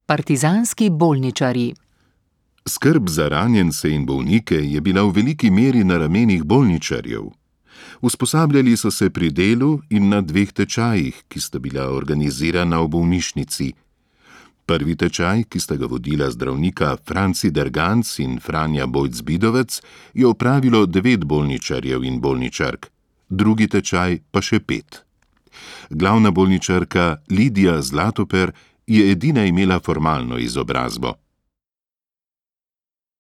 Partizanski bolničarji. Skrb za ranjence in bolnike je bila v veliki meri na ramenih bolničarjev. Usposabljali so se pri delu in na 2 tečajih, ki sta bila organizirana v bolnišnici. Prvi tečaj, ki sta ga vodila zdravnika Franci Derganc in Franja Bojc-Bidovec, je opravilo 9 bolničarjev in bolničark, drugi tečaj pa še 5. Glavna bolničarka Lidija Zlatoper je edina imela formalno izobrazbo.